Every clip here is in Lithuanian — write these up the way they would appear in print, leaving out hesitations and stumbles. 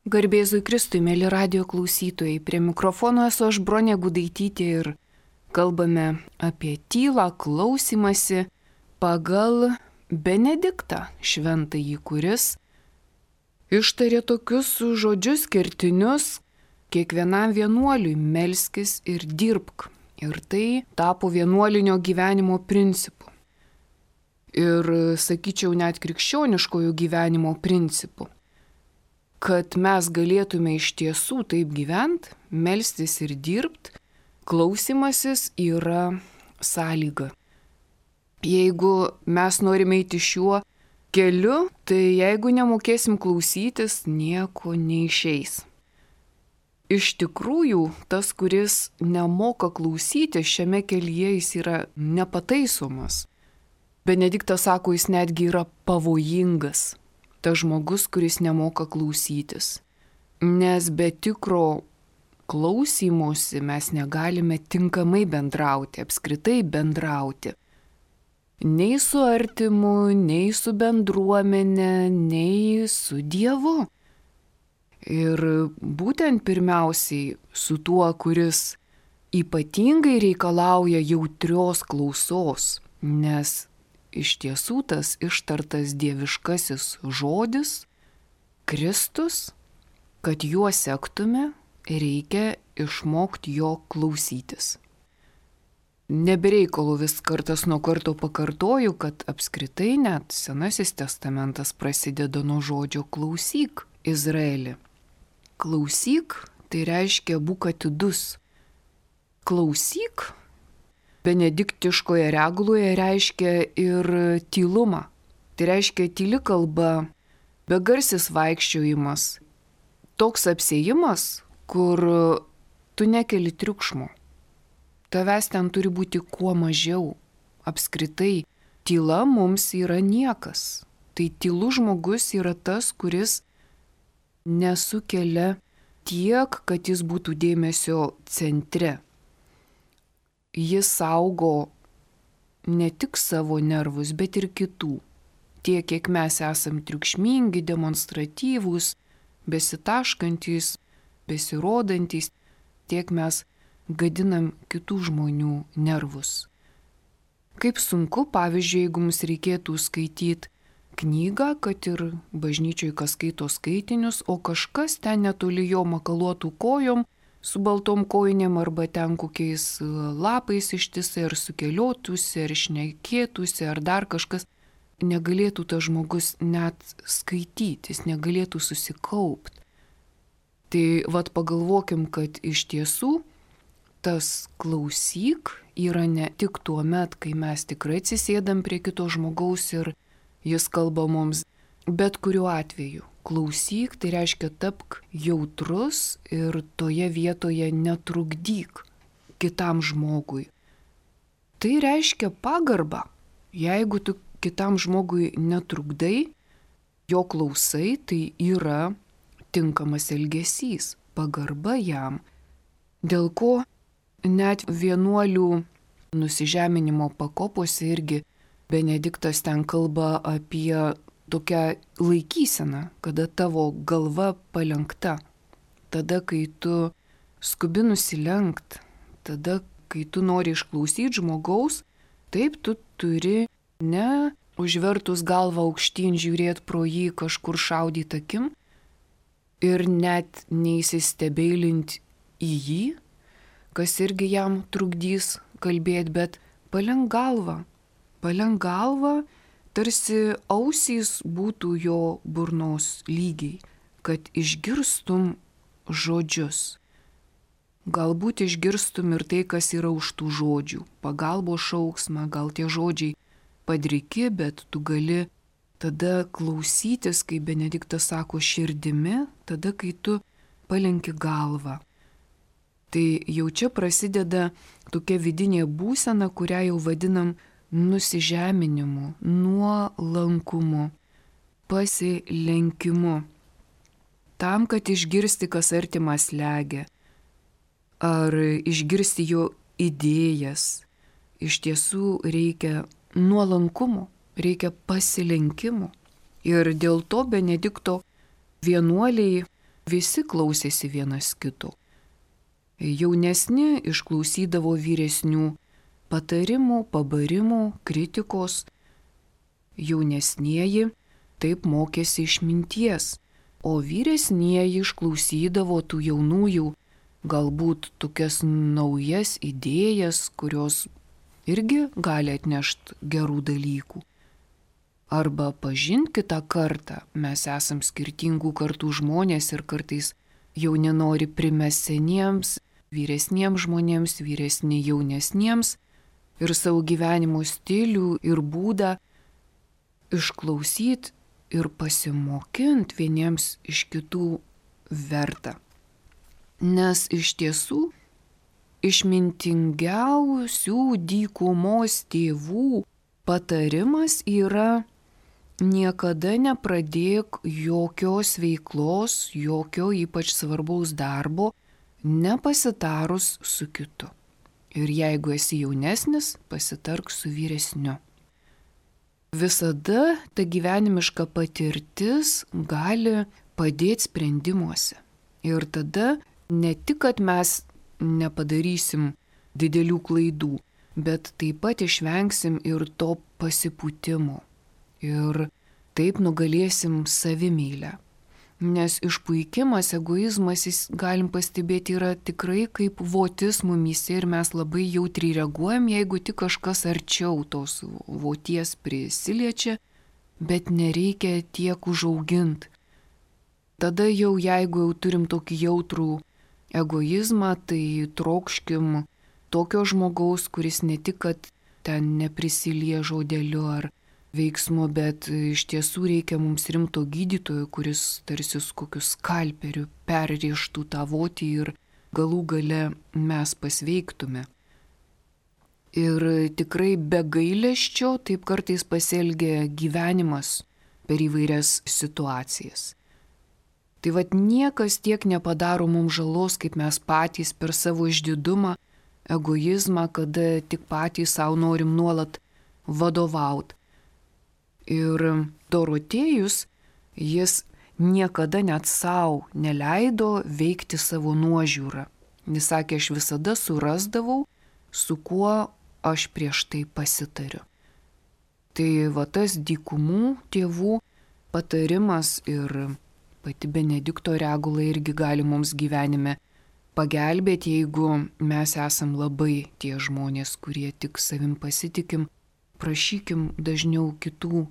Garbėzui Kristui, mėly radio klausytojai, prie mikrofono esu aš Bronė Gudaitytė ir kalbame apie tylą, klausimąsi pagal Benediktą šventąjį, kuris ištarė tokius žodžius kertinius kiekvienam vienuoliui: melskis ir dirbk. Ir tai tapo vienuolinio gyvenimo principu. Ir sakyčiau net krikščioniškojo gyvenimo principu. Kad mes galėtume iš tiesų taip gyventi, melstis ir dirbti, klausimasis yra sąlyga. Jeigu mes norime eiti šiuo keliu, tai jeigu nemokėsim klausytis, nieko neišeis. Iš tikrųjų, tas, kuris nemoka klausyti, šiame kelyje jis yra nepataisomas. Benediktas sako, jis netgi yra pavojingas. Tas žmogus, kuris nemoka klausytis. Nes be tikro klausymosi mes negalime tinkamai bendrauti, apskritai bendrauti. Nei su artimu, nei su bendruomene, nei su Dievu. Ir būtent pirmiausiai su tuo, kuris ypatingai reikalauja jautrios klausos, nes iš tiesų tas ištartas dieviškasis žodis, Kristus, kad juo sektume, reikia išmokti jo klausytis. Nebereikalo vis kartas nuo karto pakartoju, kad apskritai net Senasis testamentas prasideda nuo žodžio klausyk, Izraeli. Klausyk, tai reiškia būk atidus. Klausyk, benediktiškoje reguloje reiškia ir tylumą. Tai reiškia tyli kalba, begarsis vaikščiojimas. Toks apsėjimas, kur tu nekeli triukšmo. Tavęs ten turi būti kuo mažiau. Apskritai, tyla mums yra niekas. Tai tylus žmogus yra tas, kuris nesukelia tiek, kad jis būtų dėmesio centre. Jis saugo ne tik savo nervus, bet ir kitų. Tiek, kiek mes esam triukšmingi, demonstratyvūs, besitaškantys, besirodantys, tiek mes gadinam kitų žmonių nervus. Kaip sunku, pavyzdžiui, jeigu mums reikėtų skaityti knygą, kad ir bažnyčioj kas skaito skaitinius, o kažkas ten netoli jo makaluotų kojom, su baltom kojinėm arba ten kokiais lapais ištisai, ar sukeliotųsi, ar šnekėtųsi, ar dar kažkas, negalėtų tas žmogus net skaityti, jis negalėtų susikaupti. Tai vat pagalvokim, kad iš tiesų tas klausyk yra ne tik tuo met, kai mes tikrai atsisėdam prie kito žmogaus ir jis kalba mums, bet kuriuo atveju. Klausyk, tai reiškia tapk jautrus ir toje vietoje netrukdyk kitam žmogui. Tai reiškia pagarbą. Jeigu tu kitam žmogui netrukdai, jo klausai, tai yra tinkamas elgesys, pagarba jam. Dėl ko net vienuolių nusižeminimo pakopose irgi Benediktas ten kalba apie tokią laikyseną, kada tavo galva palenkta. Tada, kai tu skubi nusilenkt, tada, kai tu nori išklausyti žmogaus, taip tu turi ne užvertus galvą aukštyn žiūrėti pro jį kažkur šaudyti akim ir net neįsistebeilinti į jį, kas irgi jam trukdys kalbėti, bet palenk galvą, tarsi ausys būtų jo burnos lygiai, kad išgirstum žodžius. Galbūt išgirstum ir tai, kas yra už tų žodžių, pagalbos šauksmą, gal tie žodžiai padriki, bet tu gali tada klausytis, kai Benediktas sako širdimi, tada, kai tu palenki galvą. Tai jau čia prasideda tokia vidinė būsena, kurią jau vadinam nusižeminimu, nuolankumu, pasilenkimu. Tam, kad išgirsti, kas artimas slegia, ar išgirsti jo idėjas, iš tiesų reikia nuolankumo, reikia pasilenkimo. Ir dėl to Benedikto vienuoliai visi klausėsi vienas kito. Jaunesni išklausydavo vyresnių patarimų, pabarimų, kritikos. Jaunesnieji taip mokėsi išminties, o vyresnieji išklausydavo tų jaunųjų galbūt tokias naujas idėjas, kurios irgi gali atnešti gerų dalykų. Arba pažint kitą kartą, mes esam skirtingų kartų žmonės ir kartais jauni nori primesti seniems, vyresniems žmonėms, vyresni jaunesniems ir savo gyvenimo stilių ir būdą išklausyti ir pasimokinti vieniems iš kitų verta. Nes iš tiesų išmintingiausių dykumos tėvų patarimas yra: niekada nepradėk jokios veiklos, jokio ypač svarbaus darbo, nepasitarus su kitu. Ir jeigu esi jaunesnis, pasitark su vyresniu. Visada ta gyvenimiška patirtis gali padėti sprendimuose. Ir tada ne tik, kad mes nepadarysim didelių klaidų, bet taip pat išvengsim ir to pasipūtimo. Ir taip nugalėsim savimylę. Nes išpuikimas, egoizmas, jis galim pastebėti, yra tikrai kaip votis mumyse ir mes labai jautriai reaguojam, jeigu tik kažkas arčiau tos voties prisiliečia, bet nereikia tiek užauginti. Tada jau jeigu jau turim tokį jautrų egoizmą, tai trokškim tokio žmogaus, kuris ne tik, kad ten neprisilie žodeliu ar veiksmu, bet iš tiesų reikia mums rimto gydytojo, kuris tarsi su kokiu skalperiu perrieštų tą votį ir galų gale mes pasveiktume. Ir tikrai be gailesčio taip kartais pasielgia gyvenimas per įvairias situacijas. Tai vat niekas tiek nepadaro mums žalos, kaip mes patys per savo išdidumą, egoizmą, kada tik patys savo norim nuolat vadovauti. Ir Dorotėjus, jis niekada net savo neleido veikti savo nuožiūrą. Jis sakė, aš visada surasdavau, su kuo aš prieš tai pasitariu. Tai va tas dykumų tėvų patarimas ir pati Benedikto regula irgi gali mums gyvenime pagelbėti, jeigu mes esam labai tie žmonės, kurie tik savim pasitikim. Prašykim dažniau kitų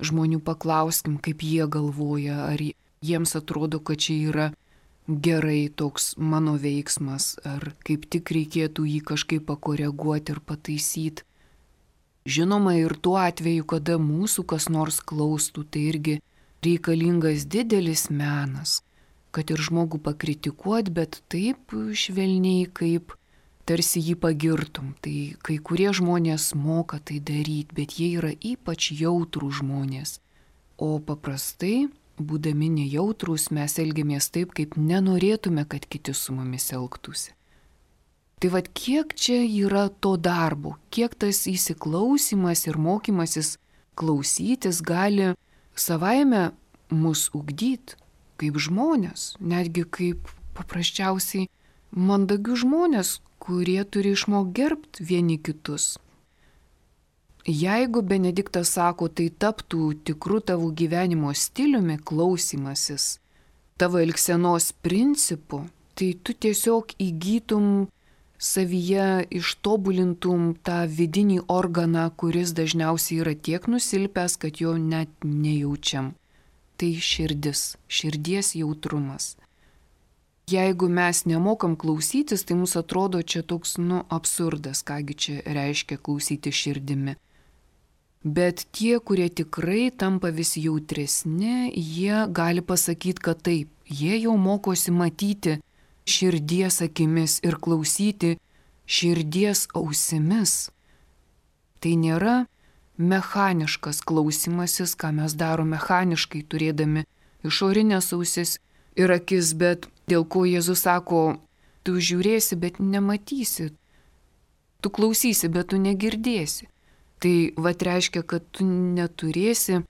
žmonių, paklauskim, kaip jie galvoja, ar jiems atrodo, kad čia yra gerai toks mano veiksmas, ar kaip tik reikėtų jį kažkaip pakoreguoti ir pataisyti. Žinoma, ir tuo atveju, kada mūsų kas nors klaustų, tai irgi reikalingas didelis menas, kad ir žmogų pakritikuot, bet taip švelniai, kaip tarsi jį pagirtum. Tai kai kurie žmonės moka tai daryti, bet jie yra ypač jautrų žmonės. O paprastai, būdami nejautrūs, mes elgiamės taip, kaip nenorėtume, kad kiti su mumis elgtųsi. Tai vad kiek čia yra to darbo, kiek tas įsiklausimas ir mokymasis klausytis gali savaime mus ugdyti kaip žmonės, netgi kaip paprasčiausiai mandagių žmonės, kurie turi išmokti gerbti vieni kitus. Jeigu Benediktas sako, tai taptų tikru tavo gyvenimo stiliumi klausymasis, tavo elgsenos principu, tai tu tiesiog įgytum savyje, ištobulintum tą vidinį organą, kuris dažniausiai yra tiek nusilpęs, kad jo net nejaučiam. Tai širdis, širdies jautrumas. Jeigu mes nemokam klausytis, tai mums atrodo čia toks, absurdas, kągi čia reiškia klausyti širdimi. Bet tie, kurie tikrai tampa vis jautresni, jie gali pasakyti, kad taip, jie jau mokosi matyti širdies akimis ir klausyti širdies ausimis. Tai nėra mechaniškas klausimasis, ką mes darom mechaniškai, turėdami išorinės ausis ir akis, bet dėl ko Jėzus sako, tu žiūrėsi, bet nematysi, tu klausysi, bet tu negirdėsi. Tai vat reiškia, kad tu neturėsi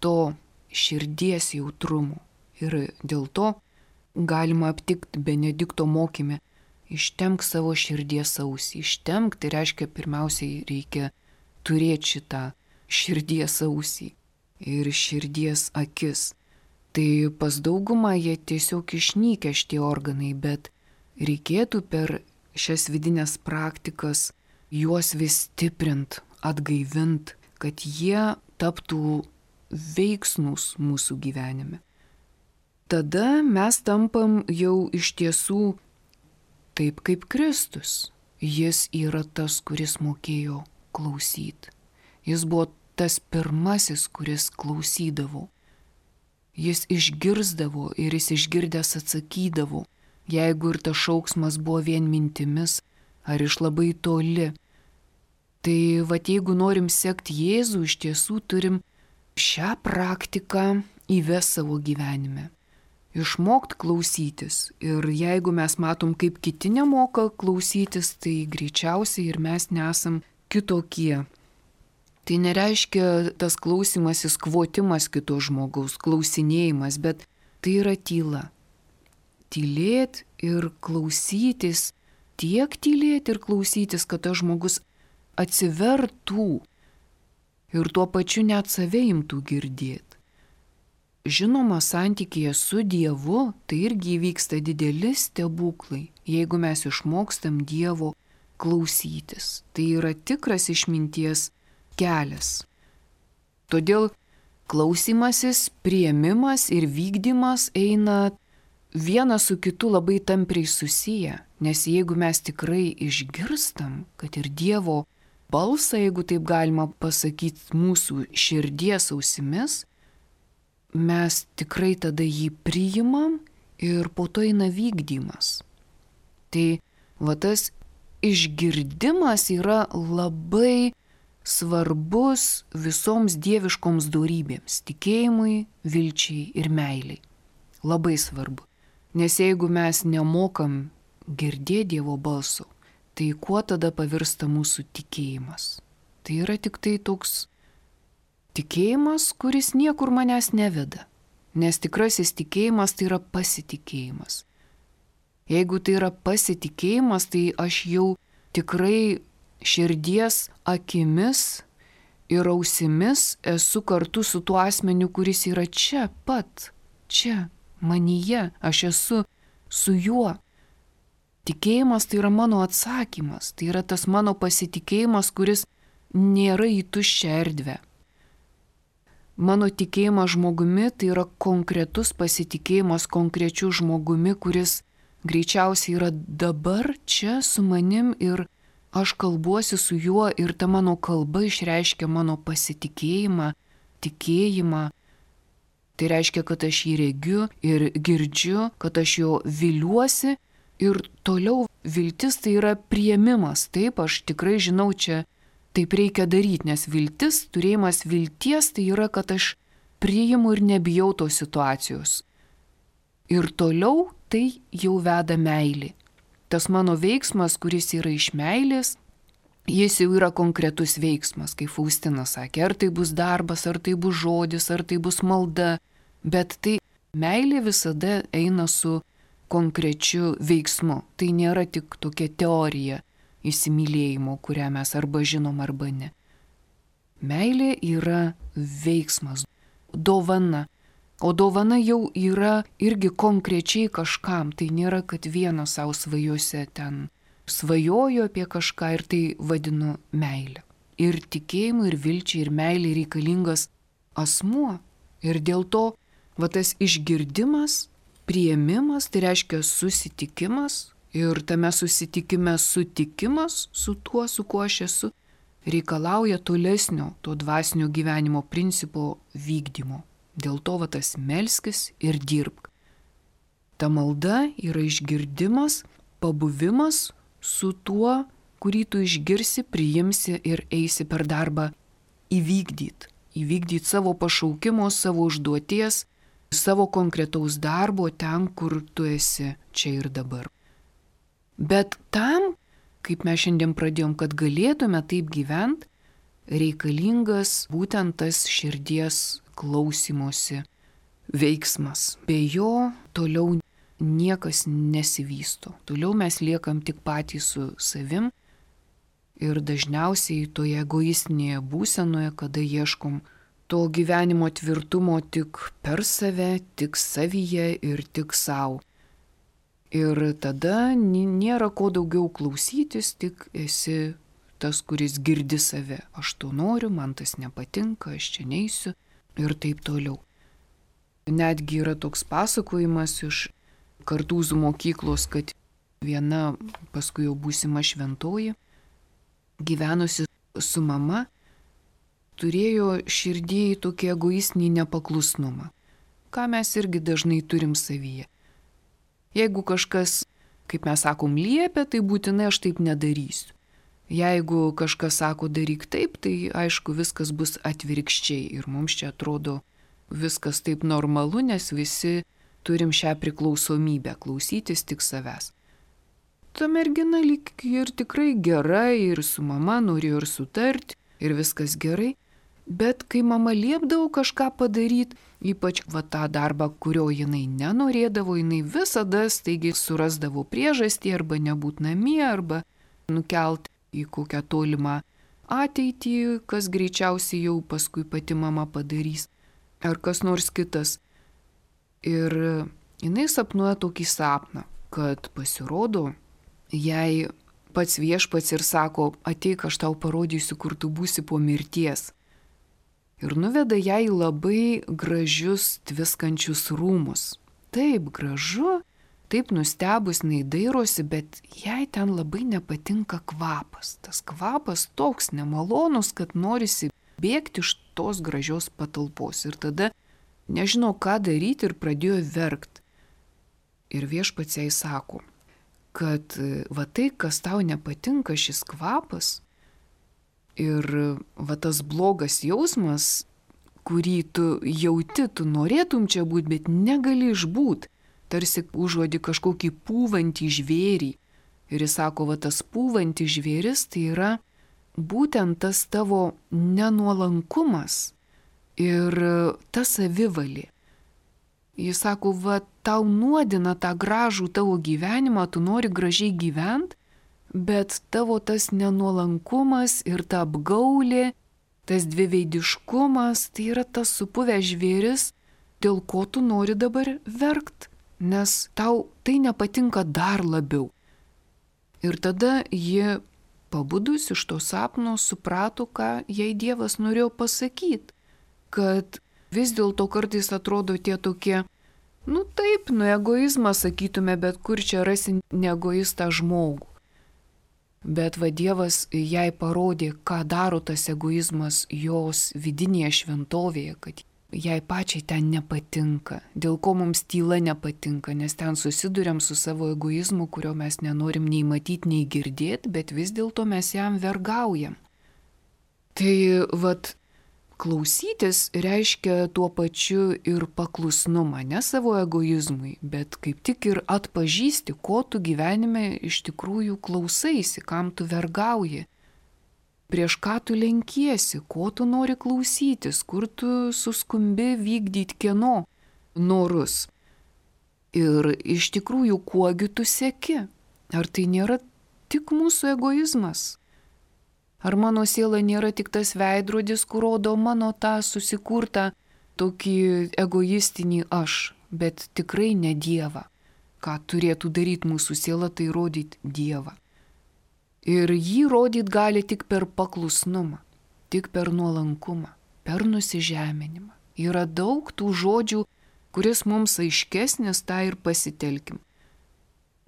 to širdies jautrumo. Ir dėl to galima aptikti Benedikto mokyme. Ištemk savo širdies ausį. Ištemk tai reiškia pirmiausiai reikia turėti šitą širdies ausį ir širdies akis. Tai pas daugumą jie tiesiog išnykę šitie organai, bet reikėtų per šias vidinės praktikas juos vis stiprint, atgaivint, kad jie taptų veiksnūs mūsų gyvenime. Tada mes tampam jau iš tiesų taip kaip Kristus. Jis yra tas, kuris mokėjo klausyti. Jis buvo tas pirmasis, kuris klausydavo. Jis išgirzdavo ir jis išgirdęs atsakydavo, jeigu ir tas šauksmas buvo vien mintimis ar iš labai toli. Tai jeigu norim sekti Jėzų, iš tiesų turim šią praktiką įvesti savo gyvenime. Išmokti klausytis. Ir jeigu mes matom, kaip kiti nemoka klausytis, tai greičiausiai ir mes nesam kitokie. Tai nereiškia tas klausimasis, kvotimas kito žmogaus, klausinėjimas, bet tai yra tyla. Tylėti ir klausytis, tiek tylėti ir klausytis, kad tas žmogus atsivertų ir tuo pačiu net save imtų girdėti. Žinoma, santykėje su Dievu tai irgi vyksta dideli stebuklai, jeigu mes išmokstam Dievo klausytis. Tai yra tikras išminties kelias. Todėl klausimasis, priėmimas ir vykdymas eina vienas su kitu labai tampriai susiję, nes jeigu mes tikrai išgirstam, kad ir Dievo balsą, jeigu taip galima pasakyti, mūsų širdies ausimis, mes tikrai tada jį priimam ir po to eina vykdymas. Tai tas išgirdimas yra labai svarbus visoms dieviškoms dorybėms - tikėjimui, vilčiai ir meiliai. Labai svarbu. Nes jeigu mes nemokam girdėti Dievo balso, tai kuo tada pavirsta mūsų tikėjimas? Tai yra tik tai toks tikėjimas, kuris niekur manęs neveda. Nes tikrasis tikėjimas tai yra pasitikėjimas. Jeigu tai yra pasitikėjimas, tai aš jau tikrai širdies akimis ir ausimis esu kartu su tuo asmeniu, kuris yra čia pat, čia, manyje, aš esu su juo. Tikėjimas tai yra mano atsakymas, tai yra tas mano pasitikėjimas, kuris nėra į tuščią erdvę. Mano tikėjimas žmogumi tai yra konkretus pasitikėjimas konkrečiu žmogumi, kuris greičiausiai yra dabar čia su manim ir aš kalbuosi su juo ir ta mano kalba išreiškia mano pasitikėjimą, tikėjimą. Tai reiškia, kad aš jį regiu ir girdžiu, kad aš jo viliuosi ir toliau viltis tai yra priėmimas. Taip, aš tikrai žinau čia. Taip reikia daryti, nes viltis, turėjimas vilties, tai yra, kad aš priimu ir nebijau tos situacijos. Ir toliau tai jau veda meilė. Tas mano veiksmas, kuris yra iš meilės, jis jau yra konkretus veiksmas, kaip Faustina sakė, ar tai bus darbas, ar tai bus žodis, ar tai bus malda, bet tai meilė visada eina su konkrečiu veiksmu. Tai nėra tik tokia teorija įsimylėjimo, kurią mes arba žinom, arba ne. Meilė yra veiksmas, dovana. O dovana jau yra irgi konkrečiai kažkam. Tai nėra, kad vienas savo svajose ten svajojo apie kažką ir tai vadinu meilę. Ir tikėjimui, ir vilčiai, ir meilė reikalingas asmuo. Ir dėl to tas išgirdimas, priėmimas, tai reiškia susitikimas. Ir tame susitikime sutikimas su tuo, su kuo aš esu, reikalauja tolesnio to dvasinio gyvenimo principo vykdymo. Dėl to tas melskis ir dirbk. Ta malda yra išgirdimas, pabuvimas su tuo, kurį tu išgirsi, priimsi ir eisi per darbą įvykdyti. Įvykdyti savo pašaukimo, savo užduoties, savo konkretaus darbo ten, kur tu esi čia ir dabar. Bet tam, kaip mes šiandien pradėjom, kad galėtume taip gyventi, reikalingas būtent tas širdies klausimosi veiksmas. Be jo toliau niekas nesivysto. Toliau mes liekam tik patys su savim ir dažniausiai toje egoistinėje būsenoje, kada ieškom to gyvenimo tvirtumo tik per save, tik savyje ir tik savo. Ir tada nėra ko daugiau klausytis, tik esi tas, kuris girdi save. Aš to noriu, man tas nepatinka, aš čia neisiu ir taip toliau. Netgi yra toks pasakojimas iš Kartūzų mokyklos, kad viena, paskui jau būsima šventoji, gyvenusi su mama, turėjo širdėjai tokį egoistinį nepaklusnumą, ką mes irgi dažnai turim savyje. Jeigu kažkas, kaip mes sakom, liepia, tai būtinai aš taip nedarysiu. Jeigu kažkas sako daryk taip, tai aišku viskas bus atvirkščiai ir mums čia atrodo viskas taip normalu, nes visi turim šią priklausomybę klausytis tik savęs. Ta mergina lyg ir tikrai gera ir su mama norėjo ir sutarti ir viskas gerai, bet kai mama liepdavo kažką padaryti, ypač tą darbą, kurio jinai nenorėdavo, jinai visada staigiai surasdavo priežastį arba nebūt namie, arba nukelt į kokią tolimą ateitį, kas greičiausiai jau paskui pati mama padarys, ar kas nors kitas. Ir jinai sapnuoja tokį sapną, kad pasirodo, jai pats viešpats ir sako, ateik, aš tau parodysiu, kur tu būsi po mirties. Ir nuveda ją į labai gražius tviskančius rūmus. Taip gražu, taip nustebus neįdairosi, bet jai ten labai nepatinka kvapas. Tas kvapas toks nemalonus, kad norisi bėgti iš tos gražios patalpos. Ir tada nežino, ką daryti ir pradėjo verkti. Ir viešpats jai sako, kad va tai, kas tau nepatinka, šis kvapas, ir va tas blogas jausmas, kurį tu jauti, tu norėtum čia būti, bet negali išbūt, tarsi užuodi kažkokį pūvantį žvėrį. Ir jis sako, va tas pūvantį žvėris tai yra būtent tas tavo nenuolankumas ir ta savivalė. Jis sako, va tau nuodina tą gražų tavo gyvenimą, tu nori gražiai gyventi, bet tavo tas nenuolankumas ir ta apgaulė, tas dviveidiškumas, tai yra tas supuvęs žvėris, dėl ko tu nori dabar verkt, nes tau tai nepatinka dar labiau. Ir tada ji, pabudus iš to sapno, suprato, ką jai Dievas norėjo pasakyti, kad vis dėlto kartais atrodo tie tokie, taip, egoizmą sakytume, bet kur čia rasi neegoistą žmogų. Bet va Dievas jai parodė, ką daro tas egoizmas jos vidinėje šventovėje, kad jai pačiai ten nepatinka, dėl ko mums tyla nepatinka, nes ten susiduriam su savo egoizmu, kurio mes nenorim nei matyti, nei girdėti, bet vis dėlto mes jam vergaujam. Tai vat klausytis reiškia tuo pačiu ir paklusnumą, ne savo egoizmui, bet kaip tik ir atpažįsti, ko tu gyvenime iš tikrųjų klausaisi, kam tu vergauji, prieš ką tu lenkiesi, ko tu nori klausytis, kur tu suskumbi vykdyti kieno norus. Ir iš tikrųjų, kuogi tu seki? Ar tai nėra tik mūsų egoizmas? Ar mano siela nėra tik tas veidrodis, kur rodo mano tą susikurtą tokį egoistinį aš, bet tikrai ne Dievą. Ką turėtų daryti mūsų siela, tai rodyti Dievą. Ir jį rodyti gali tik per paklusnumą, tik per nuolankumą, per nusižeminimą. Yra daug tų žodžių, kuris mums aiškesnis, tą ir pasitelkim.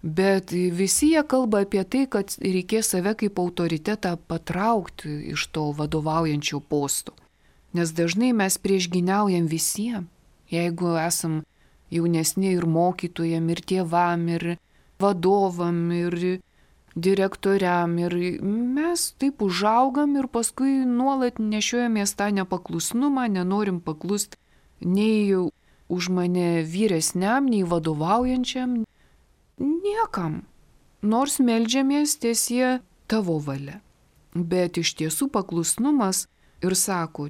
Bet visi jie kalba apie tai, kad reikės save kaip autoritetą patraukti iš to vadovaujančio posto. Nes dažnai mes priešgyniaujam visiems, jeigu esam jaunesni ir mokytojam, ir tėvam, ir vadovam, ir direktoriam. Ir mes taip užaugam ir paskui nuolat nešiojamės tą nepaklusnumą, nenorim paklusti nei už mane vyresniam, nei vadovaujančiam. Niekam, nors meldžiamės tiesie tavo valia. Bet iš tiesų paklusnumas ir sako,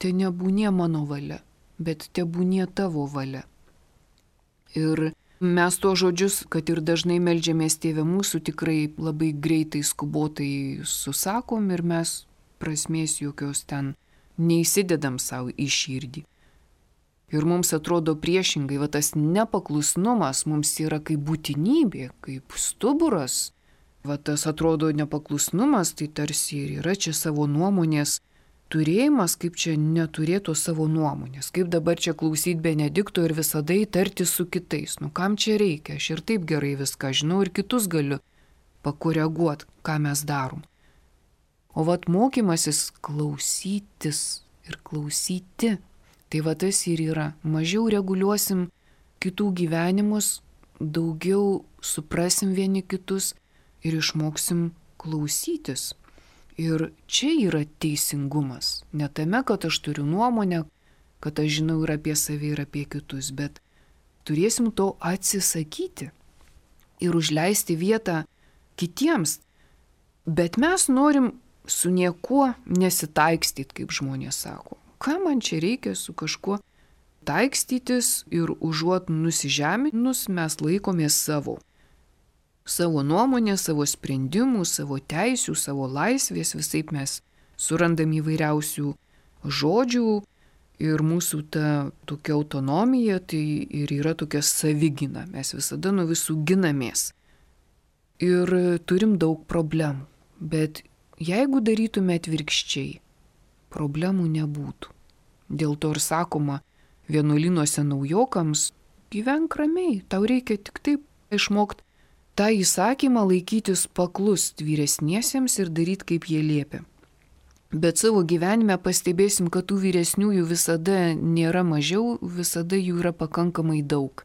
te nebūnie mano valia, bet te būnie tavo valia. Ir Mes tuo žodžius, kad ir dažnai meldžiamės Tėve mūsų, tikrai labai greitai, skubotai susakom ir mes prasmės jokios ten neįsidedam savo į širdį. Ir mums atrodo priešingai, va tas nepaklusnumas mums yra kaip būtinybė, kaip stuburas. Va tas atrodo nepaklusnumas, tai tarsi ir yra čia savo nuomonės turėjimas, kaip čia neturėtų savo nuomonės, kaip dabar čia klausyti Benedikto ir visada įtarti su kitais. Nu kam čia reikia, aš ir taip gerai viską žinau ir kitus galiu pakoreguoti, ką mes darom. O vat mokymasis klausytis ir klausyti, tai va tas ir yra. Mažiau reguliuosim kitų gyvenimus, daugiau suprasim vieni kitus ir išmoksim klausytis. Ir čia yra teisingumas. Ne tame, kad aš turiu nuomonę, kad aš žinau ir apie save, ir apie kitus, bet turėsim to atsisakyti ir užleisti vietą kitiems. Bet mes norim su niekuo nesitaikstyti, kaip žmonės sako. Ką man čia reikia su kažkuo taikstytis ir užuot nusižeminus mes laikomės savo. Savo nuomonę, savo sprendimų, savo teisių, savo laisvės, visaip mes surandam įvairiausių žodžių ir mūsų ta tokia autonomija tai ir yra tokia savigyna. Mes visada nuo visų ginamės ir turim daug problemų, bet jeigu darytume atvirkščiai, problemų nebūtų. Dėl to ir sakoma vienuolynuose naujokams, gyvenk ramiai, tau reikia tik taip išmokti tą įsakymą laikytis paklust vyresniesiems ir daryti, kaip jie liepia. Bet savo gyvenime pastebėsim, kad tų vyresniųjų visada nėra mažiau, visada jų yra pakankamai daug.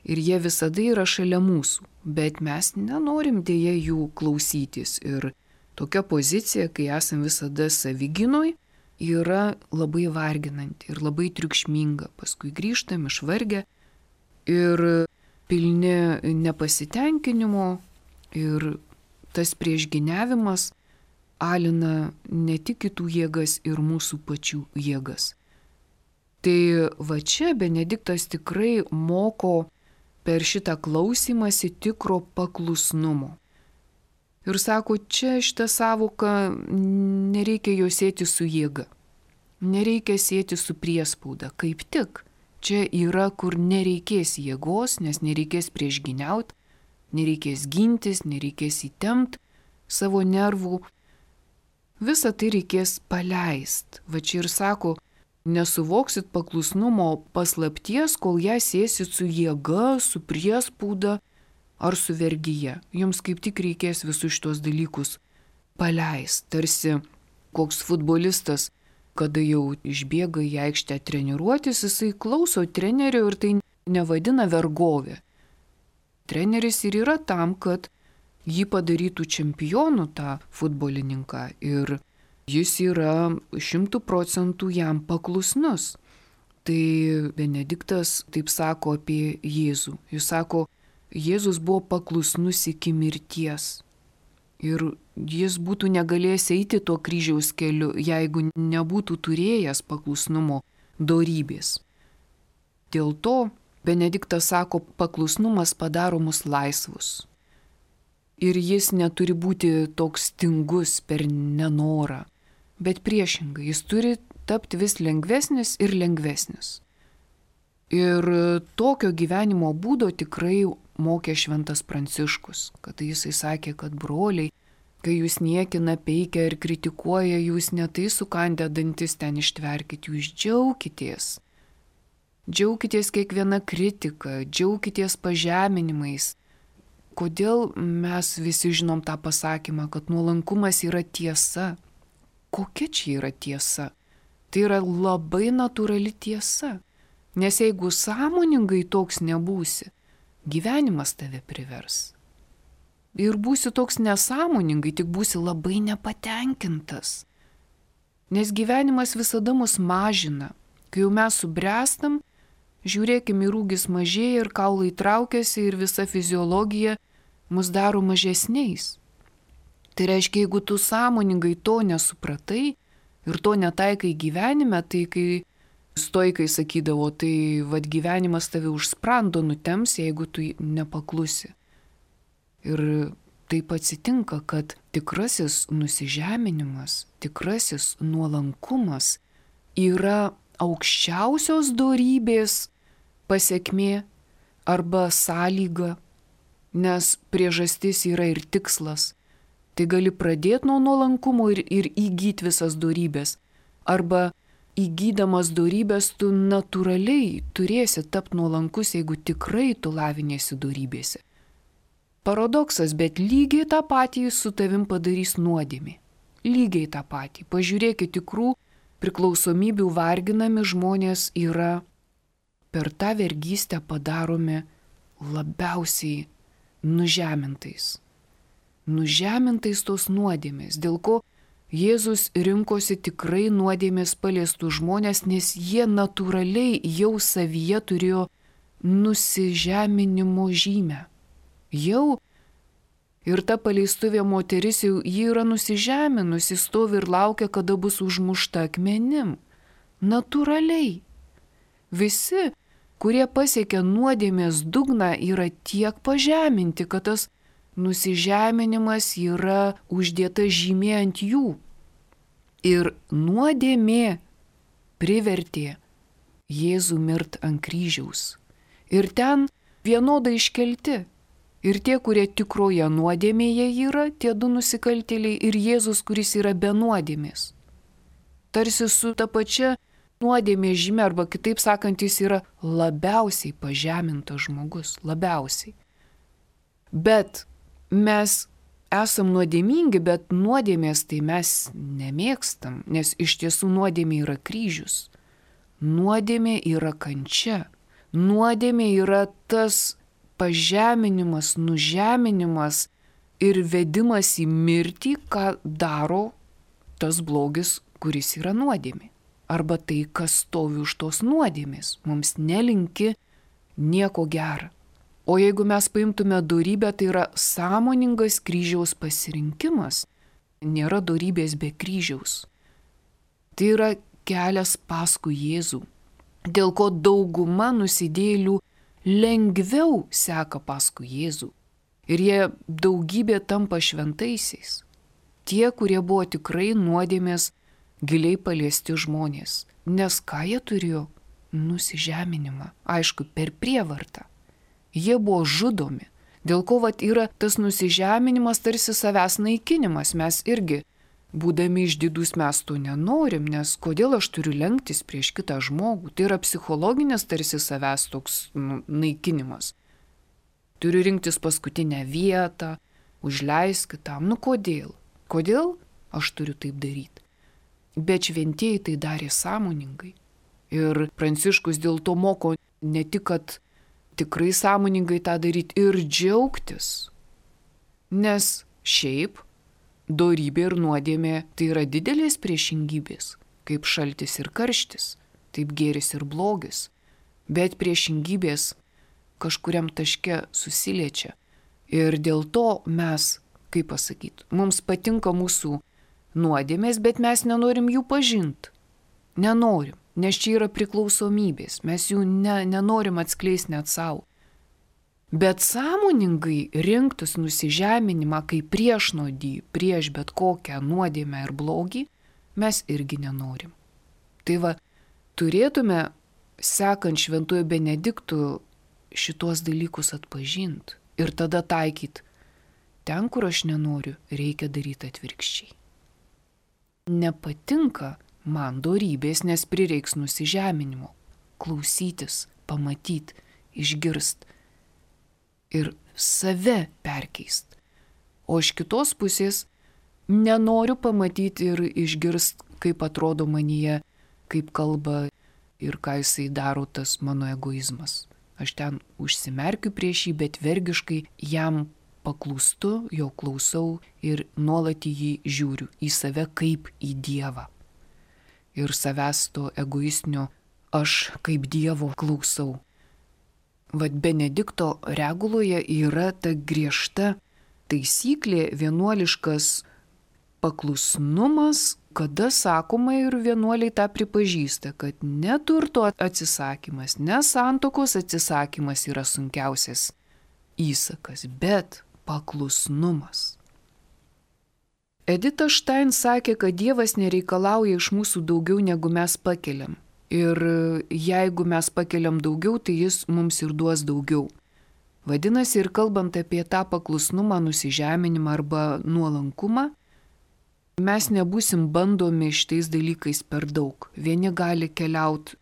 Ir jie visada yra šalia mūsų, bet mes nenorim dėja jų klausytis. Ir tokia pozicija, kai esam visada savigynoj, yra labai varginanti ir labai triukšminga. Paskui grįžtam išvargę ir pilni nepasitenkinimo ir tas priešgyniavimas alina ne tik kitų jėgas ir mūsų pačių jėgas. Tai va čia Benediktas tikrai moko per šitą klausymąsi tikro paklusnumo. Ir sako, čia šitą savoką nereikia jo sėti su jėga, nereikia sėti su priespauda, kaip tik. Čia yra, kur nereikės jėgos, nes nereikės priešgyniauti, nereikės gintis, nereikės įtempt savo nervų. Visą tai reikės paleist. Va čia ir sako, nesuvoksit paklusnumo paslapties, kol ją sėsit su jėga, su priespauda ar su vergyje. Jums kaip tik reikės visus šitos dalykus paleist. Tarsi koks futbolistas, kada jau išbėga į aikštę treniruotis, jisai klauso trenerio ir tai nevadina vergovė. Treneris ir yra tam, kad jį padarytų čempionu tą futbolininką ir jis yra 100% jam paklusnus. Tai Benediktas taip sako apie Jėzų. Jis sako, Jėzus buvo paklusnus iki mirties. Ir jis būtų negalėjęs eiti tuo kryžiaus keliu, jeigu nebūtų turėjęs paklusnumo dorybės. Dėl to Benediktas sako, paklusnumas padaro mus laisvus. Ir jis neturi būti toks tingus per nenorą, bet priešingai, jis turi tapti vis lengvesnis ir lengvesnis. Ir tokio gyvenimo būdo tikrai mokė šventas Pranciškus, kad jisai sakė, kad broliai, kai jūs niekina, peikia ir kritikuoja, jūs ne tai sukandę dantis ten ištverkit, jūs džiaukitės. Džiaukitės kiekviena kritika, džiaukitės pažeminimais. Kodėl mes visi žinom tą pasakymą, kad nuolankumas yra tiesa? Kokia čia yra tiesa? Tai yra labai natūrali tiesa. Nes jeigu sąmoningai toks nebūsi, gyvenimas tave privers. Ir būsi toks nesąmoningai, tik būsi labai nepatenkintas. Nes gyvenimas visada mus mažina. Kai jau mes subręstam, žiūrėkim, ir ūgis mažėja, ir kaulai traukiasi, ir visa fiziologija mus daro mažesniais. Tai reiškia, jeigu tu sąmoningai to nesupratai ir to netaikai gyvenime, tai kai stoikai sakydavo, tai vad gyvenimas tave už sprando nutems, jeigu tu nepaklusi. Ir taip atsitinka, kad tikrasis nusižeminimas, tikrasis nuolankumas yra aukščiausios dorybės pasekmė arba sąlyga, nes priežastis yra ir tikslas. Tai gali pradėti nuo nuolankumo ir įgyti visas dorybės. Arba įgydamas dorybės tu natūraliai turėsi tapti nuolankus, jeigu tikrai tu lavinėsi dorybėse. Paradoksas, bet lygiai tą patį su tavim padarys nuodėmė. Lygiai tą patį. Pažiūrėkit, tikrų priklausomybių varginami žmonės yra per tą vergystę padaromi labiausiai nužemintais. Nužemintais tos nuodėmės, dėl ko Jėzus rinkosi tikrai nuodėmės paliestų žmonės, nes jie natūraliai jau savyje turėjo nusižeminimo žymę. Jau ir ta paleistuvė moteris jau ji yra nusižeminusi, stovi ir laukia, kada bus užmušta akmenim. Natūraliai. Visi, kurie pasiekia nuodėmės dugną, yra tiek pažeminti, kad tas nusižeminimas yra uždėta žymė ant jų. Ir nuodėmė privertė Jėzų mirt ant kryžiaus. Ir ten vienodai iškelti. Ir tie, kurie tikroje nuodėmėje yra, tie du nusikaltėliai, ir Jėzus, kuris yra be nuodėmės. Tarsi su ta pačia nuodėmės žymė, arba kitaip sakant, jis yra labiausiai pažemintas žmogus. Labiausiai. Bet mes esam nuodėmingi, bet nuodėmės tai mes nemėgstam, nes iš tiesų nuodėmė yra kryžius. Nuodėmė yra kančia. Nuodėmė yra tas pažeminimas, nužeminimas ir vedimas į mirtį, ką daro tas blogis, kuris yra nuodėmė. Arba tai, kas stovi už tos nuodėmės, mums nelinki nieko gera. O jeigu mes paimtume dorybę, tai yra sąmoningas kryžiaus pasirinkimas. Nėra dorybės be kryžiaus. Tai yra kelias paskui Jėzų, dėl ko dauguma nusidėjėlių lengviau seka paskui Jėzų. Ir jie daugybė tampa šventaisiais. Tie, kurie buvo tikrai nuodėmės giliai paliesti žmonės. Nes ką jie turėjo? Nusižeminimą. Aišku, per prievartą. Jie buvo žudomi. Dėl ko vat yra tas nusižeminimas tarsi savęs naikinimas. Mes irgi, būdami išdidūs, mes to nenorim, nes kodėl aš turiu lenktis prieš kitą žmogų? Tai yra psichologinis tarsi savęs toks naikinimas. Turiu rinktis paskutinę vietą, užleisk kitam. Kodėl? Kodėl aš turiu taip daryti? Bet šventieji tai darė sąmoningai. Ir Pranciškus dėl to moko ne tik, kad tikrai sąmoningai tą daryti ir džiaugtis. Nes šiaip dorybė ir nuodėmė tai yra didelės priešingybės, kaip šaltis ir karštis, taip gėris ir blogis. Bet priešingybės kažkuriam taške susiliečia. Ir dėl to mes, kaip pasakyti, mums patinka mūsų nuodėmės, bet mes nenorim jų pažinti. Nenorim, nes čia yra priklausomybės, mes jų nenorim atskleisti net savo. Bet sąmoningai rinktis nusižeminimą kaip priešnodį prieš bet kokią nuodėmę ir blogį, mes irgi nenorim. Tai va, turėtume, sekant Šventuoju Benediktu, šitos dalykus atpažinti ir tada taikyti. Ten, kur aš nenoriu, reikia daryti atvirkščiai. Nepatinka man dorybės, nes prireiks nusižeminimo. Klausytis, pamatyti, išgirst ir save perkeist. O iš kitos pusės nenoriu pamatyti ir išgirst, kaip atrodo manyje, kaip kalba ir ką jisai daro tas mano egoizmas. Aš ten užsimerkiu prieš jį, bet vergiškai jam paklūstu, jo klausau ir nuolat į jį žiūriu, į save kaip į Dievą. Ir savęs to egoistinio aš kaip Dievo klausau. Vat Benedikto reguloje yra ta griežta taisyklė, vienuoliškas paklusnumas Kada sakoma ir vienuoliai tą pripažįsta, kad ne turto atsisakymas, ne santuokos atsisakymas yra sunkiausias įsakas, bet paklusnumas. Edita Štain sakė, kad Dievas nereikalauja iš mūsų daugiau, negu mes pakeliam. Ir jeigu mes pakeliam daugiau, tai Jis mums ir duos daugiau. Vadinasi, ir kalbant apie tą paklusnumą, nusižeminimą arba nuolankumą, mes nebūsim bandomi šitais dalykais per daug. Vieni gali keliauti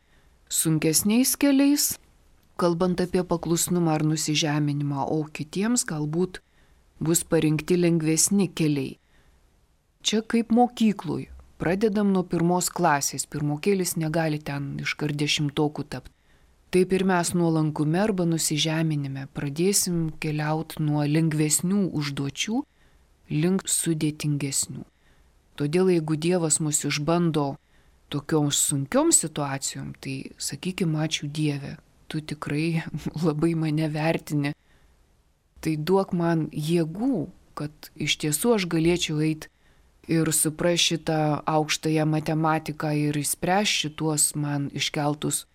sunkesniais keliais, kalbant apie paklusnumą ar nusižeminimą, o kitiems galbūt bus parinkti lengvesni keliai. Čia kaip mokyklui. Pradedam nuo 1 klasės. Pirmokėlis negali ten iškart 10 tapti. Taip ir mes nuolankume arba nusižeminime pradėsim keliauti nuo lengvesnių užduočių link sudėtingesnių. Todėl jeigu Dievas mus išbando tokiom sunkiom situacijom, tai sakykime, ačiū Dieve, tu tikrai labai mane vertini. Tai duok man jėgų, kad iš tiesų aš galėčiau eiti ir supras šitą aukštąją matematiką ir išspręs šituos man iškeltus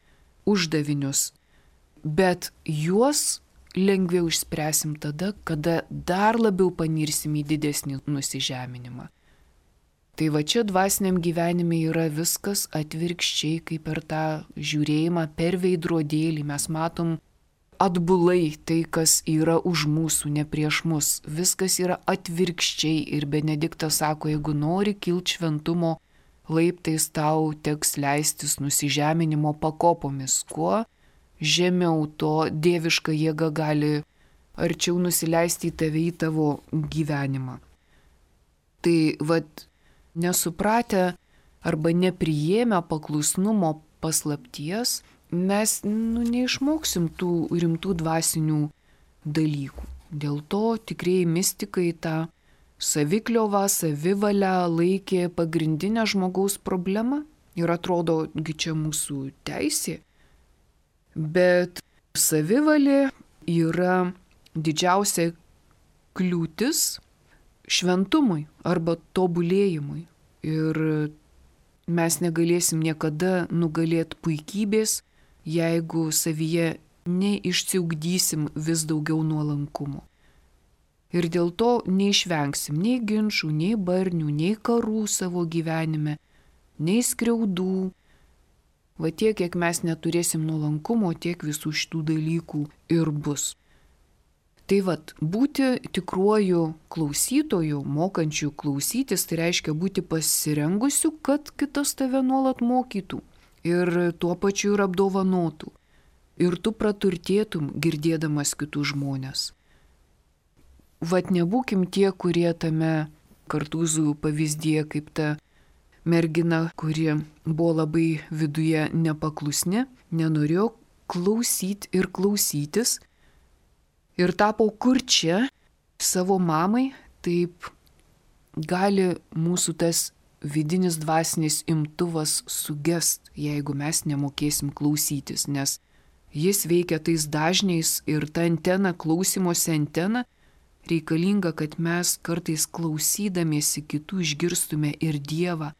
uždavinius. Bet juos lengviau išspręsim tada, kada dar labiau panirsim į didesnį nusižeminimą. Tai va čia dvasiniam gyvenime yra viskas atvirkščiai, kaip per tą žiūrėjimą per veidrodėlį. Mes matom atbulai tai, kas yra už mūsų, ne prieš mus. Viskas yra atvirkščiai ir Benediktas sako, jeigu nori kilti šventumo laiptais, tau teks leistis nusižeminimo pakopomis. Kuo žemiau, to dieviška jėga gali arčiau nusileisti į tave, į tavo gyvenimą. Tai vat nesupratę arba nepriėmę paklusnumo paslapties, mes neišmoksim tų rimtų dvasinių dalykų. Dėl to tikrieji mistikai tą savikliovą, savivalę laikė pagrindinę žmogaus problemą ir atrodo, čia mūsų teisė. Bet savivalė yra didžiausia kliūtis šventumui arba tobulėjimui. Ir mes negalėsim niekada nugalėti puikybės, jeigu savyje neišsiugdysim vis daugiau nuolankumo. Ir dėl to neišvengsim nei ginčų, nei barnių, nei karų savo gyvenime, nei skriaudų. Va tiek, kiek mes neturėsim nuolankumo, tiek visų šitų dalykų ir bus. Tai vat, būti tikruoju klausytoju, mokančiu klausytis, tai reiškia būti pasirengusiu, kad kitas tave nuolat mokytų ir tuo pačiu ir apdovanotų. Ir tu praturtėtum girdėdamas kitus žmonės. Vat nebūkim tie, kurie tame Kartūzų pavyzdyje kaip ta mergina, kuri buvo labai viduje nepaklusni, nenorėjo klausyti ir klausytis ir tapo kurčia savo mamai. Taip gali mūsų tas vidinis dvasinis imtuvas sugest, jeigu mes nemokėsim klausytis, nes jis veikia tais dažniais ir ta antena, klausimosi antena, reikalinga, kad mes kartais klausydamiesi kitų išgirstume ir Dievą,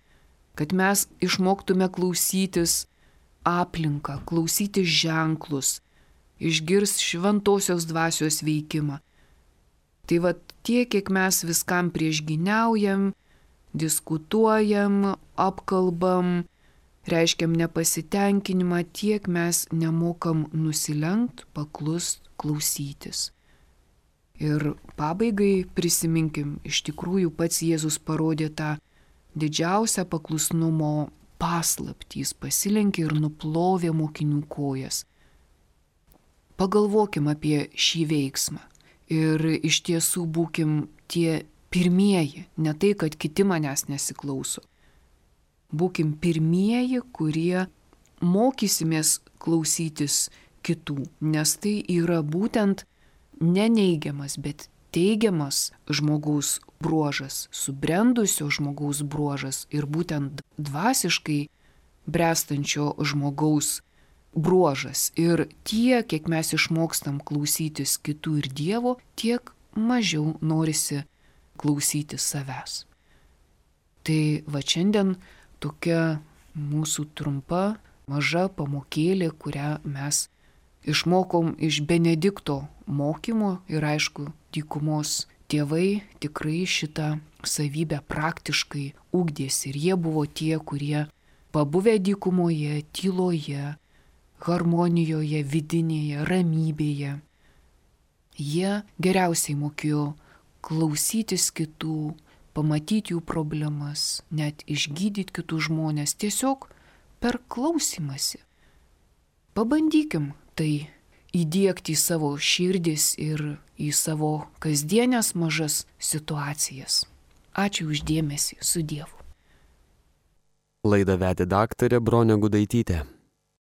kad mes išmoktume klausytis aplinką, klausytis ženklus, išgirs šventosios dvasios veikimą. Tai va tiek, kiek mes viskam priešgyniaujam, diskutuojam, apkalbam, reiškiam nepasitenkinimą, tiek mes nemokam nusilenkt, paklust, klausytis. Ir pabaigai prisiminkim, iš tikrųjų pats Jėzus parodė tą didžiausią paklusnumo paslaptį, jis pasilenkė ir nuplovė mokinių kojas. Pagalvokim apie šį veiksmą ir iš tiesų būkim tie pirmieji, ne tai, kad kiti manęs nesiklauso. Būkim pirmieji, kurie mokysimės klausytis kitų, nes tai yra būtent neneigiamas, bet teigiamas žmogaus bruožas, subrendusio žmogaus bruožas ir būtent dvasiškai brestančio žmogaus bruožas. Ir tiek, kiek mes išmokstam klausytis kitų ir Dievo, tiek mažiau norisi klausytis savęs. Tai va šiandien tokia mūsų trumpa, maža pamokėlė, kurią mes išmokom iš Benedikto mokymo ir aišku, dykumos tėvai tikrai šitą savybę praktiškai ugdėsi ir jie buvo tie, kurie pabuvę dykumoje, tyloje, harmonijoje, vidinėje, ramybėje. Jie geriausiai mokėjo klausytis kitų, pamatyti jų problemas, net išgydyti kitus žmonės tiesiog per klausymąsi. Pabandykim tai įdiegti į savo širdis ir į savo kasdienės mažas situacijas. Ačiū už dėmesį, su Dievu. Laidą vedė daktarė Bronė Gudaitytė.